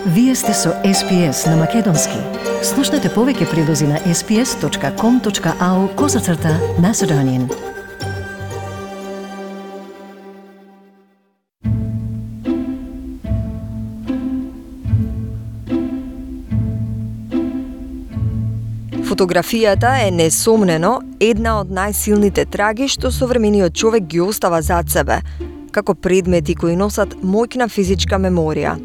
Вие сте со SPS на Македонски. Слушнете повеќе прилози на sps.com.au/Macedonian. Фотографијата е несомнено една од најсилните траги што современиот човек ги остава зад себе, како предмети кои носат моќна физичка меморија.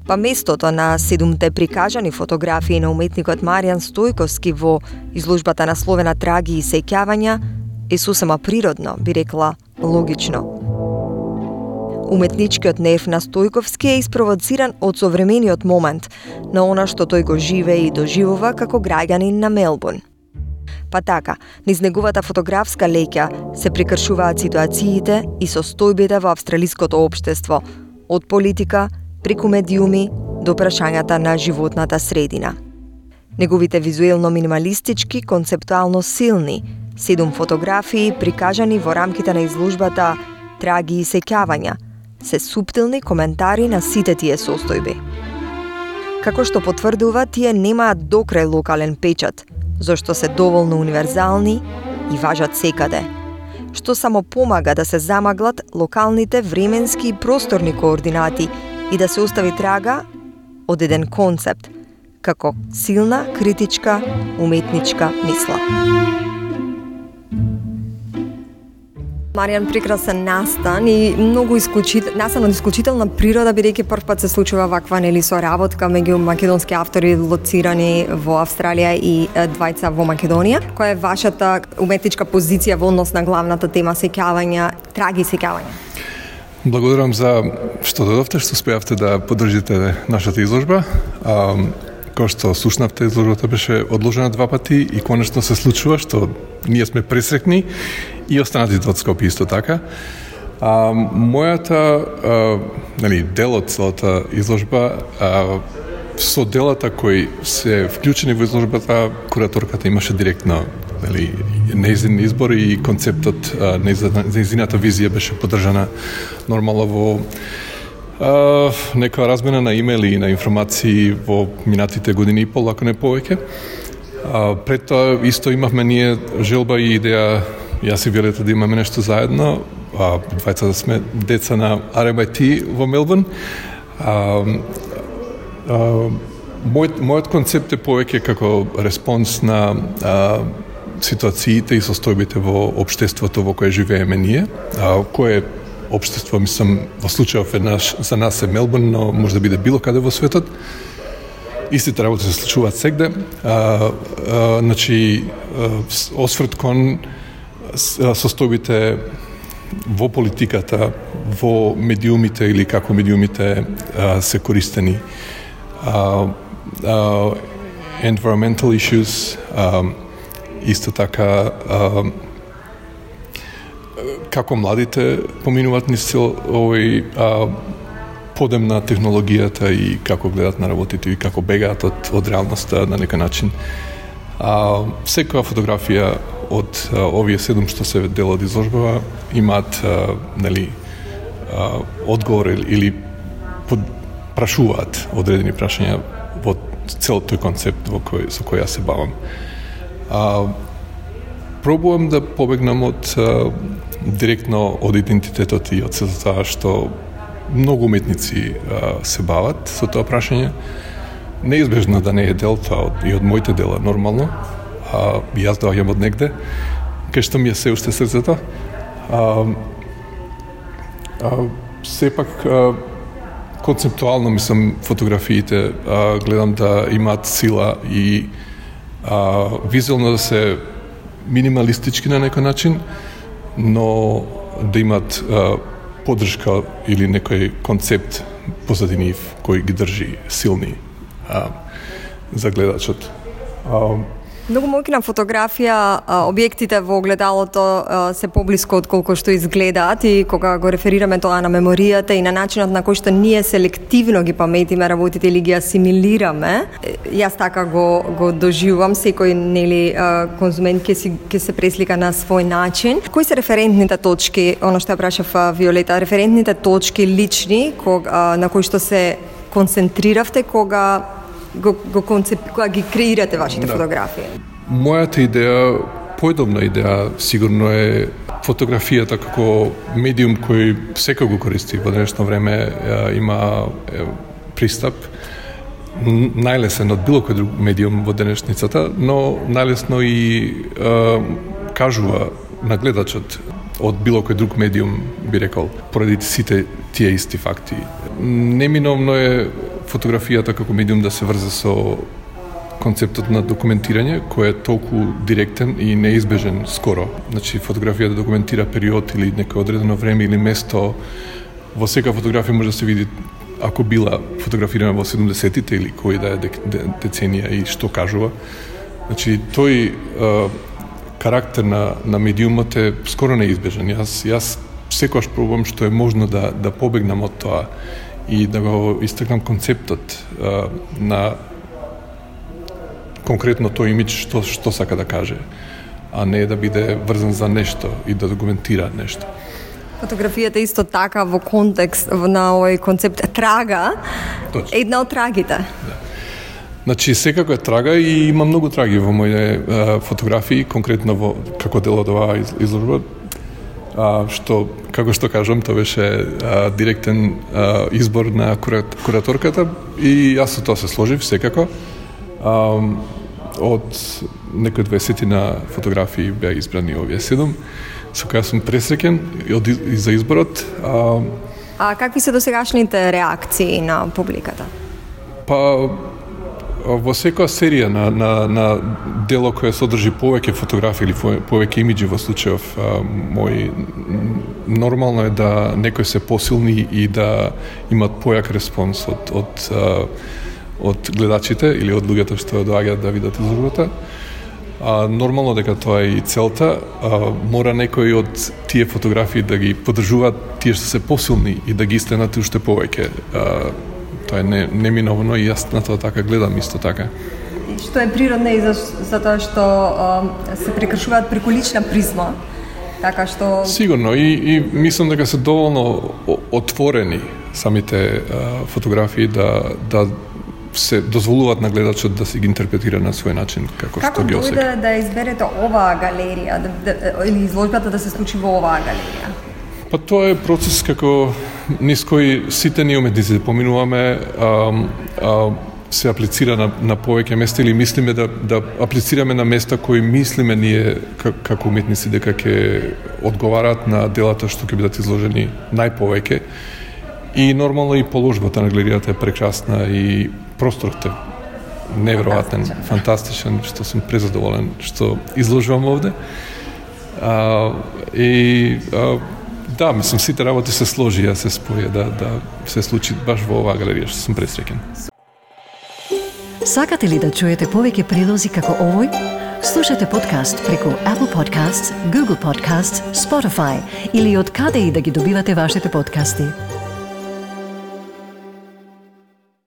Па местото на 7 прикажани фотографии на уметникот Маријан Стојковски во изложбата насловена Траги и сеќавања е сосема природно, би рекла логично. Уметничкиот нерв на Стојковски е испровоциран од современиот момент, на она што тој го живее и доживува како граѓанин на Мелбурн. Па така, низ неговата фотографска леќа се прекршуваат ситуациите и состојбите во австралиското општество, од политика, преку медиуми до прашањата на животната средина. Неговите визуелно минималистички, концептуално силни, 7 фотографии прикажани во рамките на изложбата Траги и сеќавања, се суптилни коментари на сите тие состојби. Како што потврдува, тие немаат докрај локален печат, зашто се доволно универзални и важат секаде, што само помага да се замаглат локалните временски и просторни координати и да се остави трага од еден концепт, како силна, критичка, уметничка мисла. Маријан, прекрасен настан и многу настан од исклучителна природа, бидејќи прв пат се случува ваква соработка меѓу македонски автори лоцирани во Австралија и двајца во Македонија. Која е вашата уметничка позиција во однос на главната тема сеќавања, траги и сеќавања? Благодарам за што додовте, што успеавте да поддржите нашата изложба. Кој што слушнавте, изложбата беше одложена 2 пати и конечно се случува што ние сме пресрекни и останатите од Скопје исто така. Мојата дел од целата изложба со делата кои се вклучени во изложбата, кураторката имаше директно нејзин избор и концептот, нејзината визија беше поддржана нормално во некоја размена на имејли и на информации во минатите години и пол, ако не повеќе. Пред тоа исто имавме ние желба и идеја, јас и Виолета, да имаме нешто заедно, двајца да сме деца на RMIT во Мелбурн. Мојот концепт е повеќе како респонс на ситуациите и состојбите во општеството во кое живееме ние, кое општество, мислам, во случајов еднаш за нас е Мелбурн, но може да биде било каде во светот. Истите работи се случуваат сегде. Значи, осврт кон состојбите во политиката, во медиумите или како медиумите се користени. Environmental issues, исто така како младите поминуваат низ цел овој подем на технологијата и како гледат на работите и како бегаат од реалноста на некој начин. Секоја фотографија од овие 7 што се дел од изложбава имаат одговор или прашуваат одредени прашања во целиот тој концепт со кој јас се бавам. Пробувам да побегнам од директно од идентитетот и од тоа што многу уметници се бават со тоа прашање. Неизбежно да не е дел тоа и од моите дела нормално. Јас доаѓам од негде, кај што ми е се уште срцето. Сепак концептуално мислам фотографиите гледам да имаат сила и визуелно да се минималистички на некој начин, но да имат поддршка или некој концепт позади нив кој ги држи силни за гледачот. Многу моќна фотографија, објектите во огледалото се поблиско од колку што изгледаат и кога го реферираме тоа на меморијата и на начинот на кој што ние селективно ги паметиме работите или ги асимилираме, јас така го доживувам, секој конзумент ќе се преслика на свој начин. Кои се референтните точки, оно што ја прашав Виолета, референтните точки лични на кои што се концентриравте кога кога ги креирате вашите фотографии? Мојата идеја, поедобна идеја, сигурно е фотографијата како медиум кој секој го користи во денешно време, има пристап најлесен од било кој друг медиум во денешницата, но најлесно и кажува на гледачот од било кој друг медиум, би рекол, поради сите тие исти факти. Неминовно е фотографијата како медиум да се врзе со концептот на документирање, кој е толку директен и неизбежен скоро. Значи, фотографија да документира период или некој одредено време или место. Во сека фотографија може да се види ако била фотографирана во 70-тите или кој да е деценија и што кажува. Значи, тој карактер на медиумот е скоро неизбежен. Јас секогаш пробувам што е можно да побегнам од тоа и да го истакнам концептот на конкретно тој имидж што сака да каже, а не да биде врзан за нешто и да документира нешто. Фотографијата исто така во контекст на овој концепт трага, Точно. Една од трагите. Да. Значи, секако е трага и има многу траги во моите фотографии, конкретно како дел од оваа изложба, што, како што кажам, тоа беше директен избор на кураторката и јас со тоа се сложив секако. Од некои 20 фотографии беа избрани овие 7, со која сум пресреќен и за изборот. А какви се досегашните реакции на публиката? Па, во секоја серија на дело кое содржи повеќе фотографии или повеќе имиџи во случајов мој, нормално е да некои се посилни и да имат појак респонс од гледачите или од луѓето што доаѓаат да видат изложбата. Нормално дека тоа е и целта. Мора некои од тие фотографии да ги поддржуваат тие што се посилни и да ги истенат уште повеќе. Тоа е неминовно и јас на тоа така гледам исто така. Што е природно и затоа што се прекршуваат преку лична призма, така што... Сигурно, и мислам дека се доволно отворени самите фотографии да се дозволуваат на гледачот да се ги интерпретира на свој начин како што ги осеќа. Како да изберете оваа галерија или изложбата да се случи во оваа галерија? Па тоа е процес како низ кој сите ние уметници поминуваме, се аплицира на повеќе места или мислиме да аплицираме на места кои мислиме ние како уметници дека ќе одговараат на делата што ќе бидат изложени најповеќе. И нормално и положбата на галеријата е прекрасна и просторот е неверојатен, фантастичен, што сум презадоволен што изложувам овде. Да, мислам, сите работи се сложија, се споја да се случи баш во оваа галерија, што сум пресреќен. Сакате ли да чуете повеќе прилози како овој? Слушате подкаст преку Apple Podcasts, Google Podcasts, Spotify или од каде и да ги добивате вашите подкасти.